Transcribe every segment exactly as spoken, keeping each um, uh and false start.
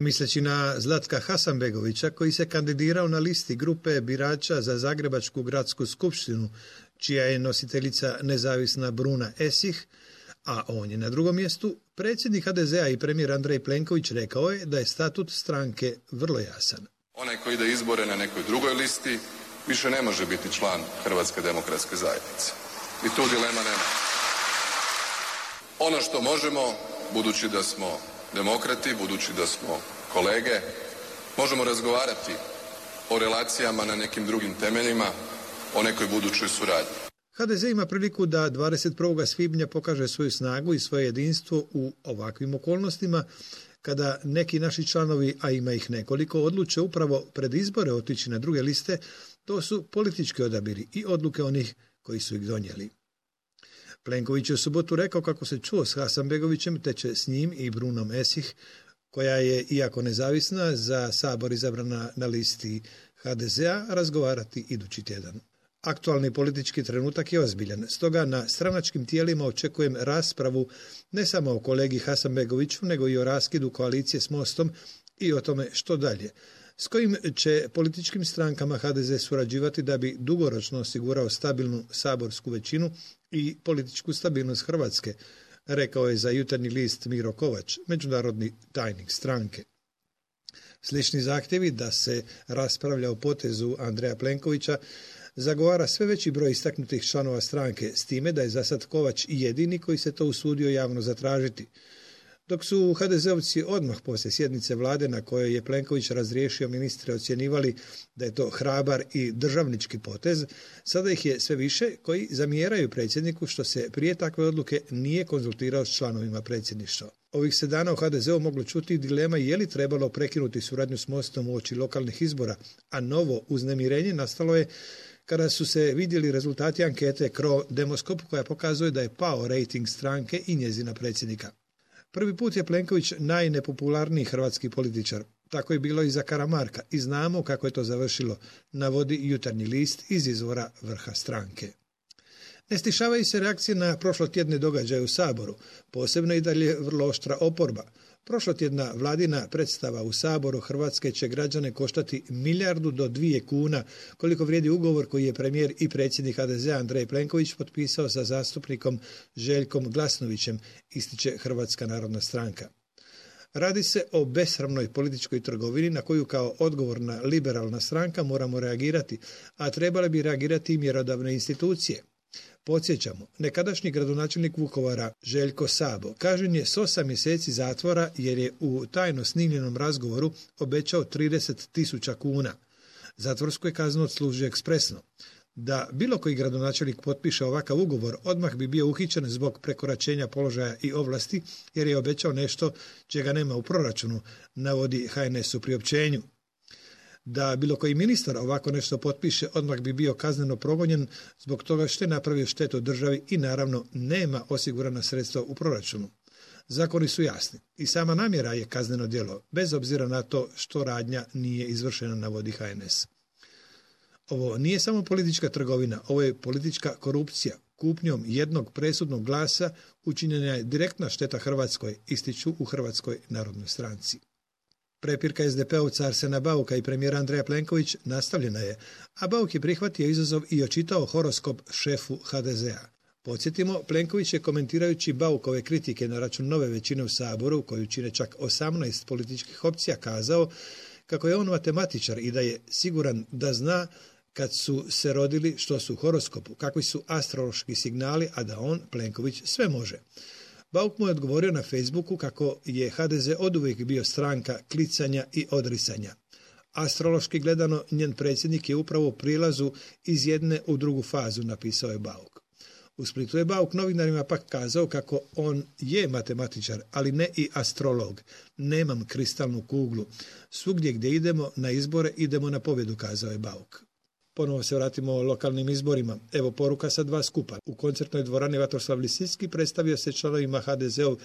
Misleći na Zlatka Hasanbegovića, koji se kandidirao na listi grupe birača za Zagrebačku gradsku skupštinu, čija je nositeljica nezavisna Bruna Esih, a on je na drugom mjestu, predsjednik ha de zea i premijer Andrej Plenković rekao je da je statut stranke vrlo jasan. Onaj koji ide izbore na nekoj drugoj listi više ne može biti član Hrvatske demokratske zajednice. I tu dilema nema. Ono što možemo, budući da smo demokrati, budući da smo kolege, možemo razgovarati o relacijama na nekim drugim temeljima, o nekoj budućoj suradnji. ha de ze ima priliku da dvadeset prvog svibnja pokaže svoju snagu i svoje jedinstvo u ovakvim okolnostima, kada neki naši članovi, a ima ih nekoliko, odluče upravo pred izbore otići na druge liste. To su politički odabiri i odluke onih koji su ih donijeli. Plenković je u subotu rekao kako se čuo s Hasanbegovićem, te će s njim i Brunom Esih, koja je, iako nezavisna, za Sabor izabrana na listi ha de zea, razgovarati idući tjedan. Aktualni politički trenutak je ozbiljan, stoga na stranačkim tijelima očekujem raspravu ne samo o kolegi Hasanbegoviću, nego i o raskidu koalicije s Mostom i o tome što dalje, s kojim će političkim strankama ha de ze surađivati da bi dugoročno osigurao stabilnu saborsku većinu i političku stabilnost Hrvatske, rekao je za Jutarnji list Miro Kovač, međunarodni tajnik stranke. Slični zahtjevi da se raspravlja o potezu Andreja Plenkovića zagovara sve veći broj istaknutih članova stranke, s time da je zasad Kovač jedini koji se to usudio javno zatražiti. Dok su ha de zeovci odmah poslije sjednice vlade na kojoj je Plenković razriješio ministre ocjenjivali da je to hrabar i državnički potez, sada ih je sve više koji zamjeraju predsjedniku što se prije takve odluke nije konzultirao s članovima predsjedništva. Ovih se dana u ha de zeu moglo čuti dilema je li trebalo prekinuti suradnju s Mostom uoči lokalnih izbora, a novo uznemirenje nastalo je kada su se vidjeli rezultati ankete Cro Demoskop koja pokazuje da je pao rejting stranke i njezina predsjednika. Prvi put je Plenković najnepopularniji hrvatski političar. Tako je bilo i za Karamarka i znamo kako je to završilo, navodi Jutarnji list iz izvora vrha stranke. Ne stišavaju se reakcije na prošlotjedne događaje u Saboru, posebno i dalje vrlo oštra oporba. Prošlotjedna vladina predstava u Saboru Hrvatske će građane koštati milijardu do dvije kuna, koliko vrijedi ugovor koji je premijer i predsjednik ha de zea Andrej Plenković potpisao sa zastupnikom Željkom Glasnovićem, ističe Hrvatska narodna stranka. Radi se o besramnoj političkoj trgovini na koju kao odgovorna liberalna stranka moramo reagirati, a trebale bi reagirati i mjerodavne institucije. Podsjećamo, nekadašnji gradonačelnik Vukovara Željko Sabo kažnjen je s osam mjeseci zatvora jer je u tajno snimljenom razgovoru obećao trideset tisuća kuna. Zatvorsku je kaznu odslužio ekspresno. Da bilo koji gradonačelnik potpiše ovakav ugovor, odmah bi bio uhićen zbog prekoračenja položaja i ovlasti jer je obećao nešto čega nema u proračunu, navodi ha en es u priopćenju. Da bilo koji ministar ovako nešto potpiše, odmah bi bio kazneno progonjen zbog toga što je napravio štetu državi i naravno nema osigurana sredstva u proračunu. Zakoni su jasni i sama namjera je kazneno djelo, bez obzira na to što radnja nije izvršena, navodi ha en es. Ovo nije samo politička trgovina, ovo je politička korupcija. Kupnjom jednog presudnog glasa učinjena je direktna šteta Hrvatskoj, ističu u Hrvatskoj narodnoj stranci. Prepirka es de peovca Arsena Bauka i premijera Andreja Plenković nastavljena je, a Bauk je prihvatio izazov i očitao horoskop šefu ha de zea. Podsjetimo, Plenković je komentirajući Baukove kritike na račun nove većine u Saboru, koju čine čak osamnaest političkih opcija, kazao kako je on matematičar i da je siguran da zna kad su se rodili što su u horoskopu, kakvi su astrološki signali, a da on, Plenković, sve može. Bauk mu je odgovorio na Facebooku kako je ha de ze oduvijek bio stranka klicanja i odrisanja. Astrološki gledano, njen predsjednik je upravo u prilazu iz jedne u drugu fazu, napisao je Bauk. U Splitu je Bauk novinarima pak kazao kako on je matematičar, ali ne i astrolog. Nemam kristalnu kuglu. Svugdje gdje idemo na izbore, idemo na pobjedu, kazao je Bauk. Ponovo se vratimo o lokalnim izborima. Evo poruka sa dva skupa. U koncertnoj dvorani Vatroslav Lisicki predstavio se članovima ha de zeov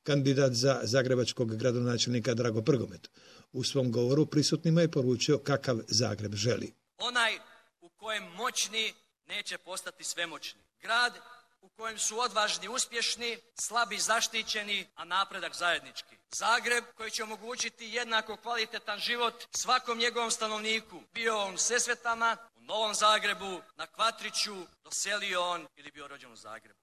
kandidat za zagrebačkog gradonačelnika Drago Prgomet. U svom govoru prisutnima je poručio kakav Zagreb želi. Onaj u kojem moćni neće postati svemoćni. Grad u kojem su odvažni uspješni, slabi zaštićeni, a napredak zajednički. Zagreb koji će omogućiti jednako kvalitetan život svakom njegovom stanovniku, bio on u Sesvetama, u Novom Zagrebu, na Kvatriću, doselio on ili bio rođen u Zagrebu.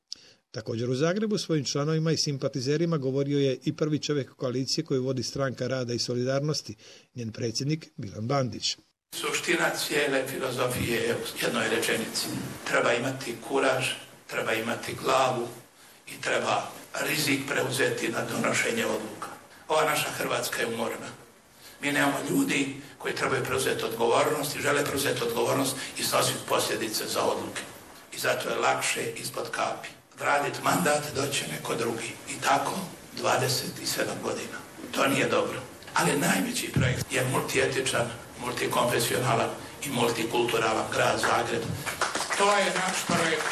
Također u Zagrebu svojim članovima i simpatizerima govorio je i prvi čovjek koalicije koju vodi Stranka rada i solidarnosti, njen predsjednik Milan Bandić. Suština cijele filozofije je u jednoj rečenici. Treba imati kuraž, treba imati glavu i treba rizik preuzeti na donošenje odluka. Ova naša Hrvatska je umorna. Mi nemamo ljudi koji trebaju preuzeti odgovornost i žele preuzeti odgovornost i snositi posljedice za odluke. I zato je lakše ispod kapi odraditi mandat, doći neko drugi. I tako dvadeset sedam godina. To nije dobro. Ali najveći projekt je multietičan, multikonfesionalan i multikulturalan grad Zagreb. To je naš projekt.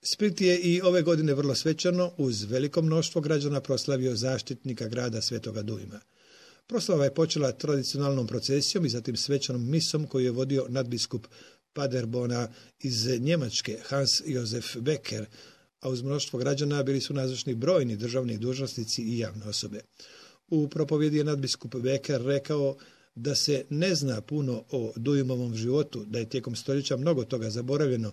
Split je i ove godine vrlo svečano uz veliko mnoštvo građana proslavio zaštitnika grada Svetoga Dujma. Proslava je počela tradicionalnom procesijom i zatim svečanom misom koju je vodio nadbiskup Paderbona iz Njemačke Hans Josef Becker, a uz mnoštvo građana bili su nazočni brojni državni dužnosnici i javne osobe. U propovjedi je nadbiskup Becker rekao da se ne zna puno o Dujmovom životu, da je tijekom stoljeća mnogo toga zaboravljeno,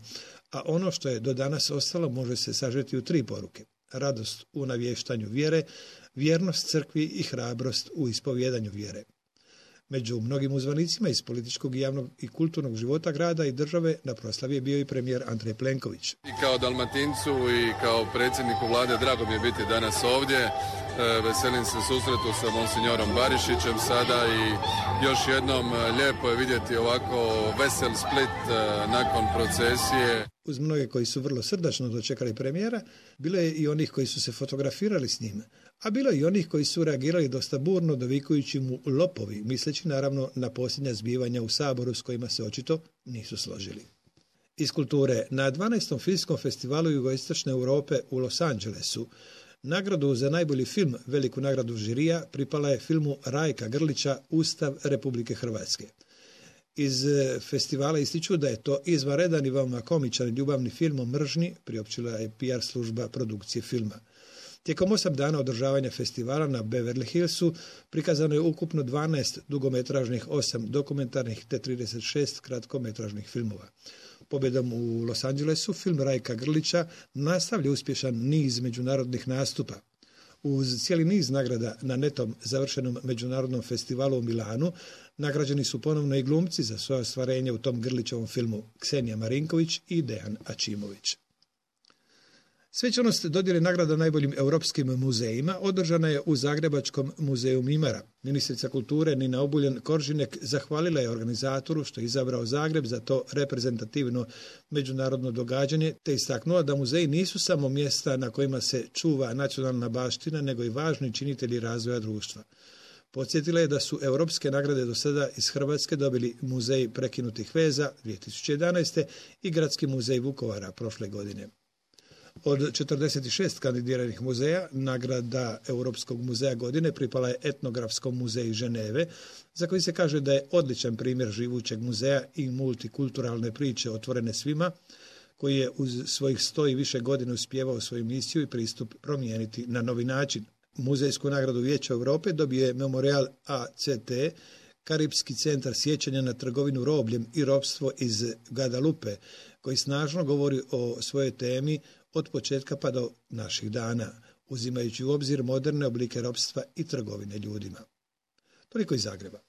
a ono što je do danas ostalo može se sažeti u tri poruke. Radost u navještanju vjere, vjernost crkvi i hrabrost u ispovjedanju vjere. Među mnogim uzvanicima iz političkog i javnog i kulturnog života grada i države na proslavi je bio i premijer Andrej Plenković. I kao Dalmatincu i kao predsjedniku vlade drago mi je biti danas ovdje. Veselim se susretu sa monsignorom Barišićem sada i još jednom lijepo je vidjeti ovako vesel Split nakon procesije. Uz mnoge koji su vrlo srdačno dočekali premijera, bilo je i onih koji su se fotografirali s njim, a bilo je i onih koji su reagirali dosta burno dovikujući mu lopovi, misleći naravno na posljednja zbivanja u Saboru s kojima se očito nisu složili. Iz kulture, na dvanaestom filmskom festivalu Jugoistočne Europe u Los Angelesu nagradu za najbolji film, veliku nagradu žirija, pripala je filmu Rajka Grlića Ustav Republike Hrvatske. Iz festivala ističu da je to izvanredan i veoma komičan ljubavni film o mržnji, priopćila je P R služba produkcije filma. Tijekom osam dana održavanja festivala na Beverly Hillsu prikazano je ukupno dvanaest dugometražnih, osam dokumentarnih te trideset šest kratkometražnih filmova. Pobjedom u Los Angelesu film Rajka Grlića nastavlja uspješan niz međunarodnih nastupa. Uz cijeli niz nagrada na netom završenom međunarodnom festivalu u Milanu nagrađeni su ponovno i glumci za svoje ostvarenje u tom Grlićevom filmu Ksenija Marinković i Dejan Ačimović. Svečanost dodjele nagrada najboljim europskim muzejima održana je u Zagrebačkom muzeju Mimara. Ministrica kulture Nina Obuljen Koržinek zahvalila je organizatoru što je izabrao Zagreb za to reprezentativno međunarodno događanje, te istaknula da muzeji nisu samo mjesta na kojima se čuva nacionalna baština, nego i važni činitelji razvoja društva. Podsjetila je da su europske nagrade do sada iz Hrvatske dobili Muzej prekinutih veza dvije tisuće jedanaeste i Gradski muzej Vukovara prošle godine. Od četrdeset šest kandidiranih muzeja, nagrada Europskog muzeja godine pripala je Etnografskom muzeju Ženeve, za koji se kaže da je odličan primjer živućeg muzeja i multikulturalne priče otvorene svima, koji je uz svojih sto i više godina uspjevao svoju misiju i pristup promijeniti na novi način. Muzejsku nagradu Vijeća Europe dobio je Memorial A C T, Karipski centar sjećanja na trgovinu robljem i ropstvo iz Guadalupe, koji snažno govori o svojoj temi od početka pa do naših dana, uzimajući u obzir moderne oblike ropstva i trgovine ljudima. Toliko iz Zagreba.